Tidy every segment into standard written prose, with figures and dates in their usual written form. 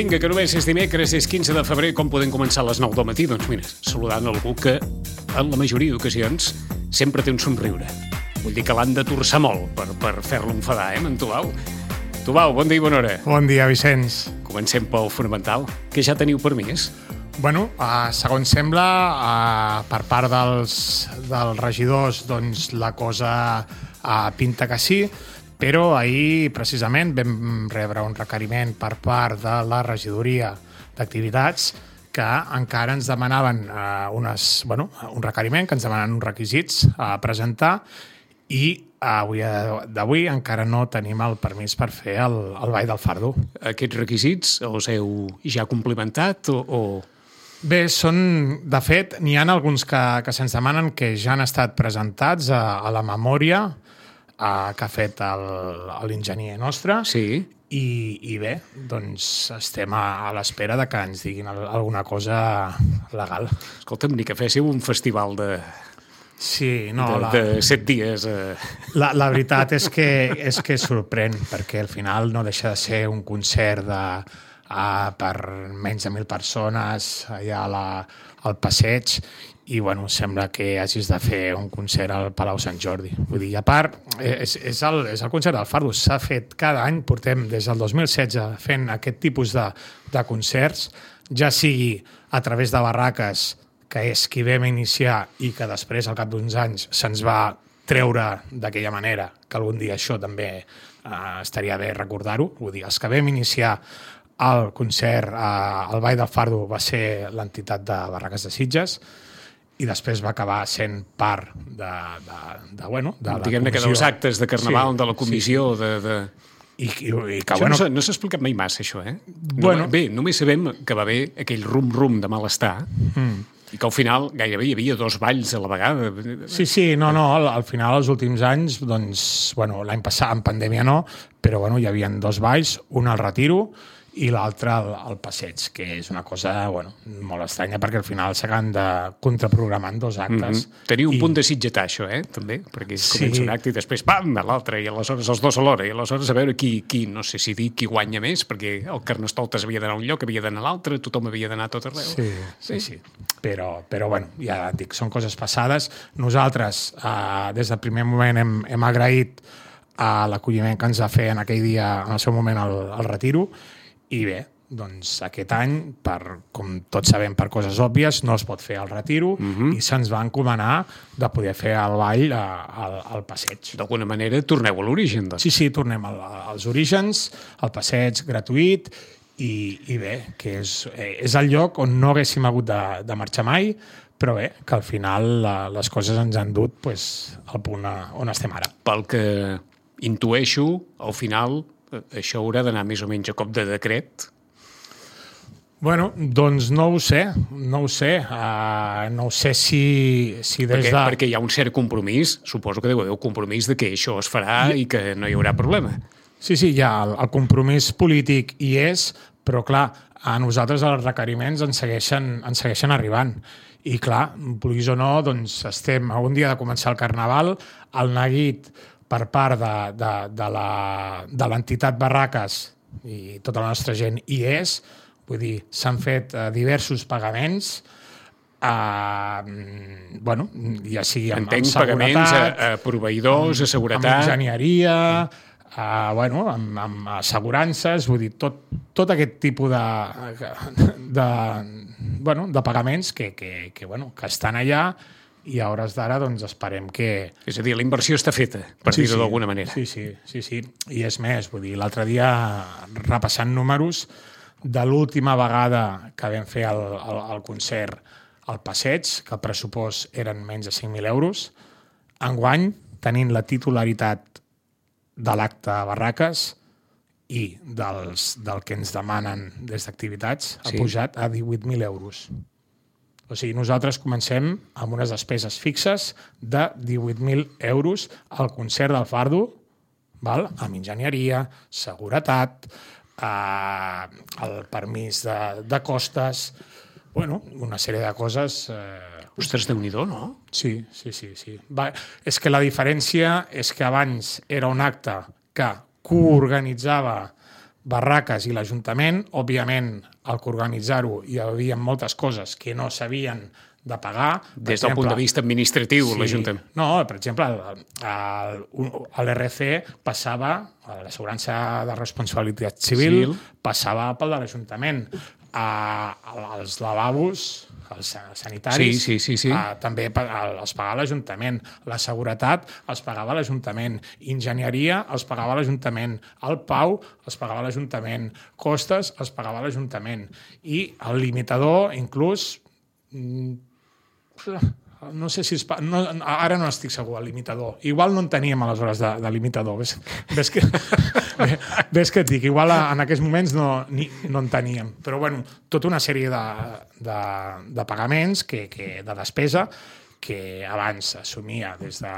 Vinga, que només és dimecres, és 15 de febrer, com podem començar a les 9 del matí? Doncs mira, saludant algú que, en la majoria d'ocasions, sempre té un somriure. Vull dir que l'han de torçar molt per fer-lo enfadar, en Tubau? Tubau, bon dia i bona hora. Bon dia, Vicenç. Comencem pel fonamental. Què ja teniu permís? Bueno, segons sembla, per part dels regidors, doncs la cosa pinta que sí, però ahir, precisament, vam rebre un requeriment per part de la regidoria d'Activitats que encara ens demanaven un requeriment, que ens demanen uns requisits a presentar i avui d'avui encara no tenim el permís per fer el Ball del Fardo. Aquests requisits els heu ja complimentat o...? Bé, de fet, n'hi ha alguns que se'ns demanen que ja han estat presentats a la memòria que ha fet l'enginyer nostre. Sí. I bé, doncs estem a l'espera de que ens diguin alguna cosa legal. Escolta'm, ni que féssiu un festival de 7 dies. La veritat és que sorprèn, perquè al final no deixa de ser un concert per menys de 1.000 persones allà al passeig i sembla que hagis de fer un concert al Palau Sant Jordi. Vull dir, a part, és el concert del Fardo. S'ha fet cada any, portem des del 2016 fent aquest tipus de concerts, ja sigui a través de barraques, que és qui vam iniciar i que després, al cap d'uns anys, se'ns va treure d'aquella manera, que algun dia això també estaria bé recordar-ho. Vull dir, els que vam iniciar el concert al Ball del Fardo va ser l'entitat de Barraques de Sitges i després va acabar sent part de la comissió. Diguem-ne que dels actes de Carnaval, de la comissió, I no s'ha explicat mai massa, això, eh? Bé, només sabem que va haver aquell rum-rum de malestar i que al final gairebé hi havia 2 balls a la vegada. Sí, al final, els últims anys, doncs, l'any passat, en pandèmia no, però hi havia 2 balls, un al Retiro i l'altre al passeig, que és una cosa molt estranya, perquè al final s'acaben de contraprogramar en 2 actes. Teniu un punt de sitgetar, això, també? Perquè comença un acte i després, pam, l'altre, i aleshores els 2 alhora, i aleshores a veure qui no sé si dir, qui guanya més, perquè el Carnestoltes havia d'anar a un lloc, havia d'anar a l'altre, tothom havia d'anar a tot arreu. Sí. Però ja et dic, són coses passades. Nosaltres, des del primer moment, hem agraït l'acolliment que ens va fer en aquell dia, en el seu moment, al Retiro. I bé, doncs aquest any, com tots sabem per coses òbvies, no es pot fer el Retiro i se'ns va encomanar de poder fer el ball al passeig. D'alguna manera torneu a l'origen, doncs. Sí, tornem als orígens, al passeig gratuït i bé, que és el lloc on no haguéssim hagut de marxar mai, però bé, que al final les coses ens han dut al punt on estem ara. Pel que intueixo, al final això haurà d'anar més o menys a cop de decret? Doncs no ho sé. No ho sé si des de... Perquè hi ha un cert compromís, suposo que deu haver un compromís de que això es farà i que no hi haurà problema. Sí, hi ha el compromís polític hi és, però clar, a nosaltres els requeriments ens segueixen arribant. I clar, vulguis o no, doncs estem a un dia de començar el Carnaval, el neguit per part de l'entitat Barraques i tota la nostra gent hi és, vull dir, s'han fet diversos pagaments, ja sigui amb seguretat, pagaments a proveïdors, a seguretat, amb enginyeria, amb assegurances, vull dir, tot aquest tipus de pagaments que estan allà i a hores d'ara doncs esperem que... És a dir, la inversió està feta, per dir-ho d'alguna manera. Sí. I és més, vull dir, l'altre dia, repassant números, de l'última vegada que vam fer el concert al passeig, que el pressupost eren menys de 5.000 euros, enguany, tenint la titularitat de l'acte a Barraques i del que ens demanen des d'Activitats, ha pujat a 18.000 euros. O sigui, nosaltres comencem amb unes despeses fixes de 18.000 euros al concert del Fardo, amb enginyeria, seguretat, el permís de costes, una sèrie de coses... Ostres, Déu-n'hi-do, no? Sí. És que la diferència és que abans era un acte que coorganitzava Barraques i l'Ajuntament, òbviament, al que organitzar-ho hi havia moltes coses que no s'havien de pagar. Des del punt de vista administratiu, sí, l'Ajuntament. No, per exemple, l'RC passava, l'assegurança de responsabilitat civil, passava pel de l'Ajuntament. Els lavabos, els sanitaris, sí. també els pagava l'Ajuntament. La seguretat els pagava l'Ajuntament. Enginyeria els pagava l'Ajuntament. El Pau els pagava l'Ajuntament. Costes els pagava l'Ajuntament. I el limitador, inclús, no sé si ara no estic segur, el limitador. Igual no en teníem aleshores de limitador. Ves que et dic, igual en aquests moments no en teníem. Però bueno, tota una sèrie de pagaments, de despesa, que abans s'assumia des de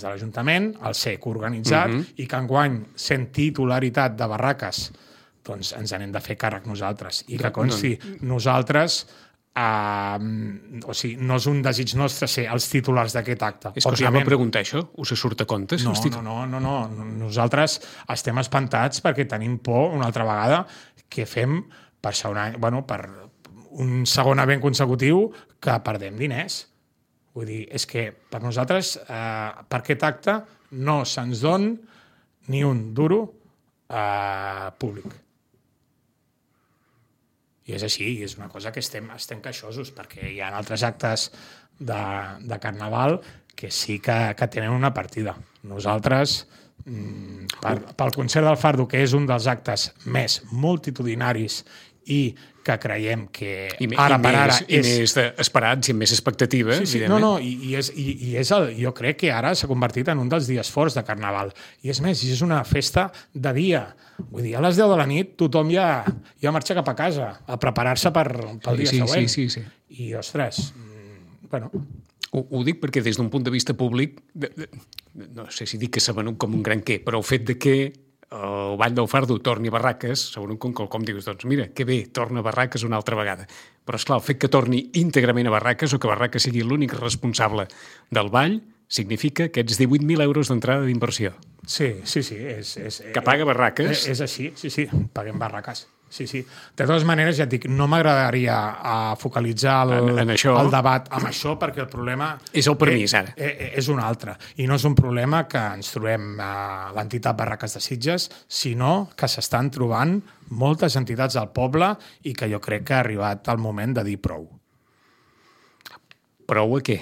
l'Ajuntament, el SEC organitzat, i que enguany, sent titularitat de Barraques, doncs ens n'hem de fer càrrec nosaltres. I que consti, nosaltres... o sigui, no és un desig nostre ser els titulars d'aquest acte. És que us anava a preguntar això, us surt a compte? No. Nosaltres estem espantats perquè tenim por una altra vegada que fem per un segon event consecutiu que perdem diners. Vull dir, és que per nosaltres, per aquest acte, no se'ns don ni un duro públic. I és així, és una cosa que estem queixosos, perquè hi ha altres actes de Carnaval que sí que tenen una partida. Nosaltres, pel concert del Fardo, que és un dels actes més multitudinaris i que creiem que ara per ara és... I més esperats i amb més expectativa, evidentment. Jo crec que ara s'ha convertit en un dels dies forts de Carnaval. I és més, és una festa de dia. Vull dir, a les 10 de la nit tothom ja marxa cap a casa a preparar-se pel dia següent. Sí. I, ostres, bueno... Ho dic perquè des d'un punt de vista públic, no sé si dic que s'ha venut com un gran què, però el fet de que el Ball del Fardo torni a Barraques, segons com dius, doncs mira, que bé, torna a Barraques una altra vegada. Però esclar, el fet que torni íntegrament a Barraques o que Barraques sigui l'únic responsable del ball significa aquests 18.000 euros d'entrada d'inversió. Sí. Que paga Barraques. És així, sí, paguem Barraques. Sí. De totes maneres, ja et dic, no m'agradaria focalitzar el debat amb això, perquè el problema... És el permís, ara. És un altre. I no és un problema que ens trobem a l'entitat Barraques de Sitges, sinó que s'estan trobant moltes entitats del poble i que jo crec que ha arribat el moment de dir prou. Prou a què?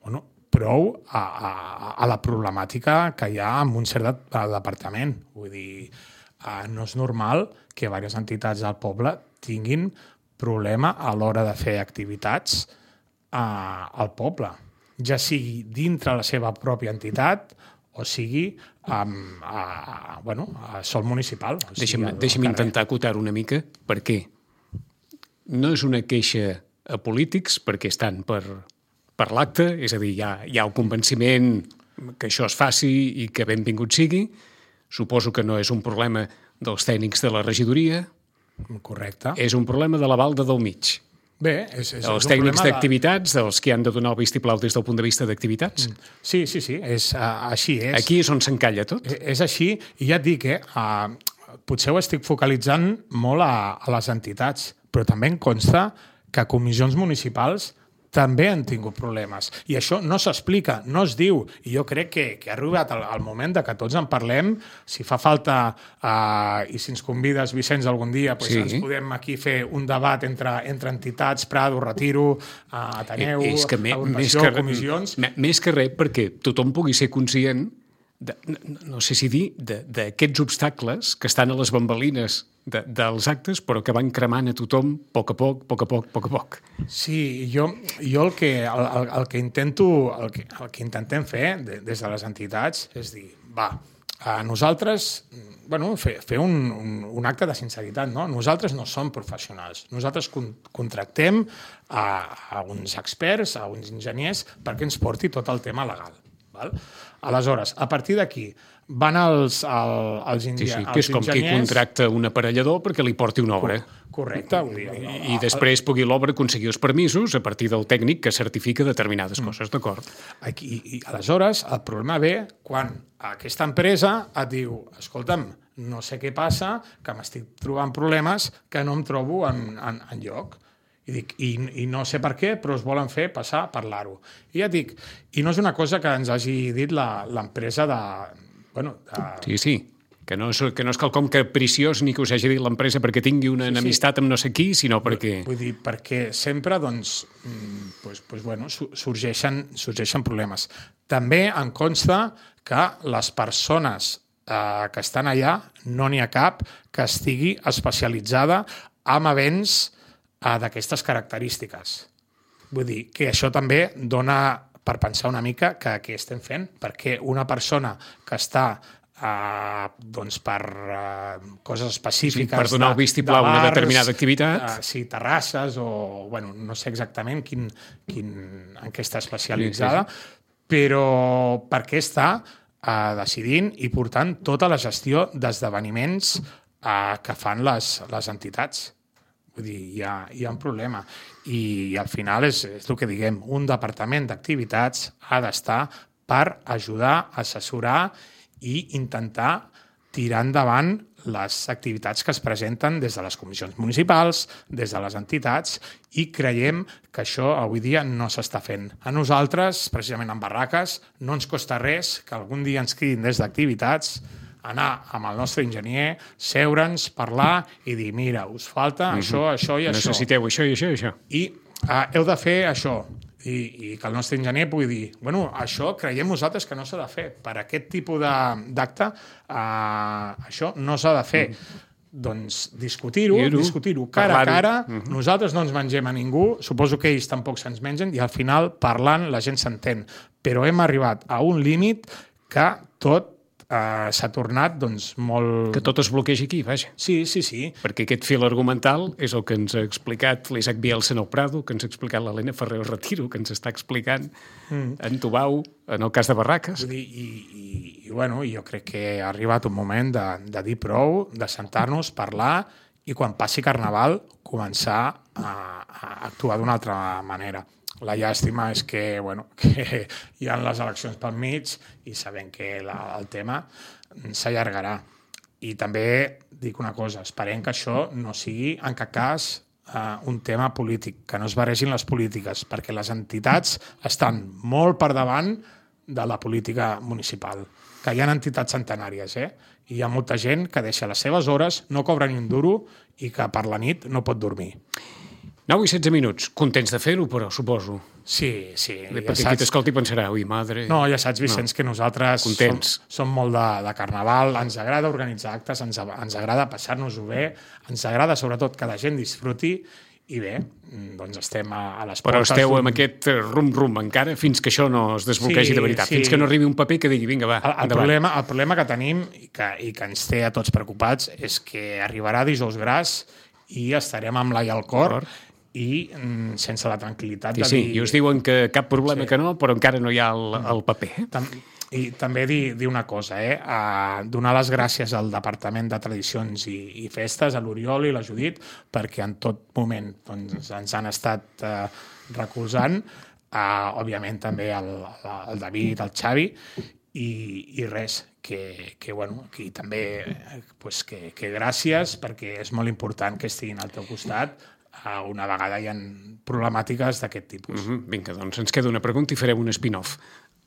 Bueno, prou a la problemàtica que hi ha en un cert departament. Vull dir, no és normal que diverses entitats del poble tinguin problema a l'hora de fer activitats al poble, ja sigui dintre la seva pròpia entitat o sigui a sol municipal. Deixa'm intentar acotar una mica, perquè no és una queixa a polítics, perquè estan per l'acte, és a dir, hi ha el convenciment que això es faci i que benvingut sigui. Suposo que no és un problema dels tècnics de la regidoria. Correcte. És un problema de la Valda del Mig. Bé, els tècnics d'activitats, dels que han de donar el vistiplau des del punt de vista d'activitats. Sí, així és. Aquí és on s'encalla tot. És així, i ja et dic, potser ho estic focalitzant molt a les entitats, però també em consta que comissions municipals també han tingut problemes. I això no s'explica, no es diu. I jo crec que ha arribat el moment de que tots en parlem. Si fa falta, i si ens convides, Vicenç, algun dia, ens podem aquí fer un debat entre entitats, Prado, Retiro, Ateneu, Agrupació, comissions... Més que res, perquè tothom pugui ser conscient no sé si dir, d'aquests obstacles que estan a les bambalines dels actes, però que van cremant a tothom a poc a poc. Sí, jo el que intentem fer des de les entitats és dir, nosaltres, fer un acte de sinceritat, no? Nosaltres no som professionals. Nosaltres contractem a uns experts, a uns enginyers, perquè ens porti tot el tema legal. Val? Aleshores, a partir d'aquí van els enginyers... Que és com qui contracta un aparellador perquè li porti una obra. Correcte. I després pugui l'obra aconseguir els permisos a partir del tècnic que certifica determinades coses, d'acord? I aleshores el problema ve quan aquesta empresa et diu, escolta'm, no sé què passa, que m'estic trobant problemes que no em trobo en lloc. I no sé per què, però es volen fer passar a parlar-ho. I ja et dic, i no és una cosa que ens hagi dit l'empresa Sí, que no és quelcom capriciós ni que us hagi dit l'empresa perquè tingui una enemistat amb no sé qui, sinó perquè... Vull dir, perquè sempre sorgeixen problemes. També em consta que les persones que estan allà, no n'hi ha cap que estigui especialitzada en events d'aquestes característiques. Vull dir que això també dona per pensar una mica que què estem fent, perquè una persona que està per coses específiques... per donar el vistiplau a una determinada activitat. Sí, terrasses o... no sé exactament en què està especialitzada, però per què està decidint i portant tota la gestió d'esdeveniments que fan les entitats. Vull dir, hi ha un problema. I al final és el que diguem, un departament d'activitats ha d'estar per ajudar, assessorar i intentar tirar endavant les activitats que es presenten des de les comissions municipals, des de les entitats, i creiem que això avui dia no s'està fent. A nosaltres, precisament en barraques, no ens costa res que algun dia ens cridin des d'activitats, anar amb el nostre enginyer, seure'ns, parlar i dir, mira, us falta això i això. Necessiteu això i això i això. I heu de fer això. I que el nostre enginyer pugui dir, això creiem nosaltres que no s'ha de fer. Per aquest tipus d'acte, això no s'ha de fer. Doncs discutir-ho cara a cara. Nosaltres no ens mengem a ningú, suposo que ells tampoc se'ns mengen, i al final, parlant, la gent s'entén. Però hem arribat a un límit que tot s'ha tornat molt... Que tot es bloquegi aquí, vaja. Sí. Perquè aquest fil argumental és el que ens ha explicat l'Isaac Bielsa en el Prado, que ens ha explicat l'Helena Ferrer Retiro, que ens està explicant en Tubau, en el cas de Barraques. Jo crec que ha arribat un moment de dir prou, de sentar-nos, parlar, i quan passi Carnaval començar a actuar d'una altra manera. La llàstima és que hi ha les eleccions pel mig i sabem que el tema s'allargarà. I també dic una cosa, esperem que això no sigui en cap cas un tema polític, que no es barregin les polítiques, perquè les entitats estan molt per davant de la política municipal, que hi ha entitats centenàries, i hi ha molta gent que deixa les seves hores, no cobra ni un duro i que per la nit no pot dormir. 9 i 16 minuts. Contents de fer-ho, però, suposo. Sí. Perquè qui t'escolti pensarà, ui, madre... No, ja saps, Vicenç, que nosaltres som molt de Carnaval, ens agrada organitzar actes, ens agrada passar-nos-ho bé, ens agrada sobretot que la gent disfruti, i bé, doncs estem a les portes... Però esteu amb aquest rum-rum encara fins que això no es desbloquegi de veritat, fins que no arribi un paper que digui, vinga, va, endavant. El problema que tenim i que ens té a tots preocupats és que arribarà dijous gras i estarem amb l'ai al cor i sense la tranquil·litat de dir... I us diuen que cap problema que no, però encara no hi ha el paper. I també dir una cosa, donar les gràcies al Departament de Tradicions i Festes, a l'Oriol i la Judit, perquè en tot moment ens han estat recolzant, òbviament també el David, el Xavi, i res, que també que gràcies, perquè és molt important que estiguin al teu costat una vegada hi ha problemàtiques d'aquest tipus. Vinga, doncs ens queda una pregunta i farem un spin-off.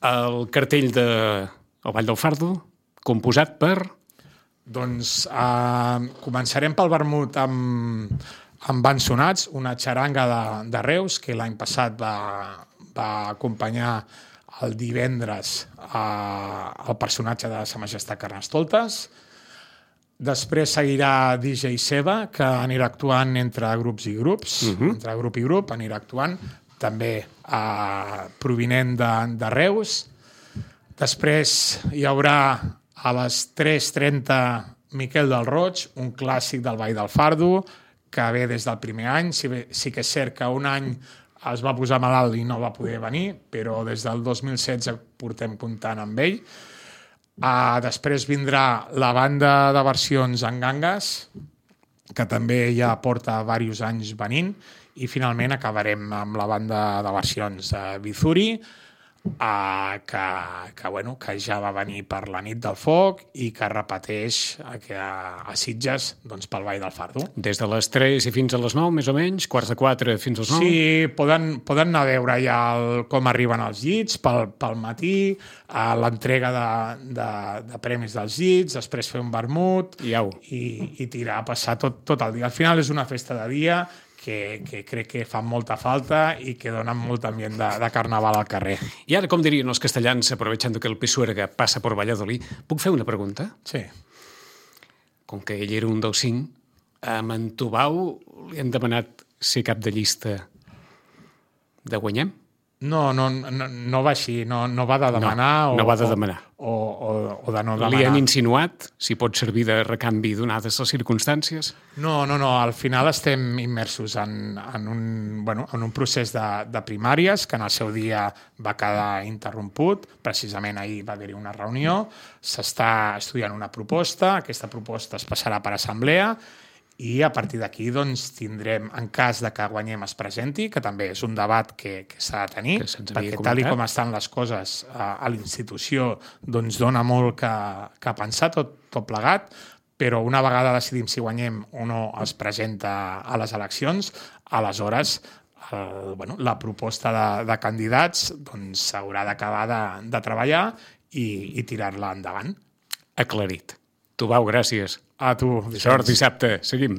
El cartell de El Ball del Fardo, composat per... Doncs començarem pel vermut amb Bensonats, una xaranga de Reus, que l'any passat va acompanyar el divendres el personatge de Sa Majestat Carnestoltes. Després seguirà DJ Seba, que anirà actuant entre grups i grups, entre grup i grup, anirà actuant, també provinent de Reus. Després hi haurà a les 3:30 Miquel del Roig, un clàssic del Ball del Fardo, que ve des del primer any. Sí que és cert que un any es va posar malalt i no va poder venir, però des del 2016 portem comptant amb ell. Després vindrà la banda de versions en Ganges, que també ja porta diversos anys venint, i finalment acabarem amb la banda de versions de Bizuri, que ja va venir per la nit del foc i que repeteix a Sitges doncs, pel Ball del Fardo. Des de les 3 i fins a les 9, més o menys, quarts de 4 fins als 9? Sí, poden anar a veure ja com arriben els llits pel matí, l'entrega de premis dels llits, després fer un vermut i tirar a passar tot el dia. Al final és una festa de dia que crec que fan molta falta i que donen molt ambient de carnaval al carrer. I ara, com dirien els castellans, aprovechando que el Pisuerga passa per Valladolid, puc fer una pregunta? Sí. Com que ell era un dels 5, a en Tubau li han demanat ser cap de llista de Guanyem? No va així, no va de demanar no va de demanar. O de no demanar. Li han insinuat si pot servir de recanvi donades les circumstàncies? No, al final estem immersos en un procés de primàries que en el seu dia va quedar interromput. Precisament ahir va haver-hi una reunió, s'està estudiant una proposta, aquesta proposta es passarà per assemblea i a partir d'aquí doncs, tindrem, en cas de que Guanyem es presenti, que també és un debat que s'ha de tenir, perquè tal com estan les coses a l'institució doncs dona molt que pensar tot plegat, però una vegada decidim si Guanyem o no es presenta a les eleccions, aleshores la proposta de candidats doncs, s'haurà d'acabar de treballar i tirar-la endavant. Aclarit. Tubau, gràcies. A tu. Sort dissabte. Seguim.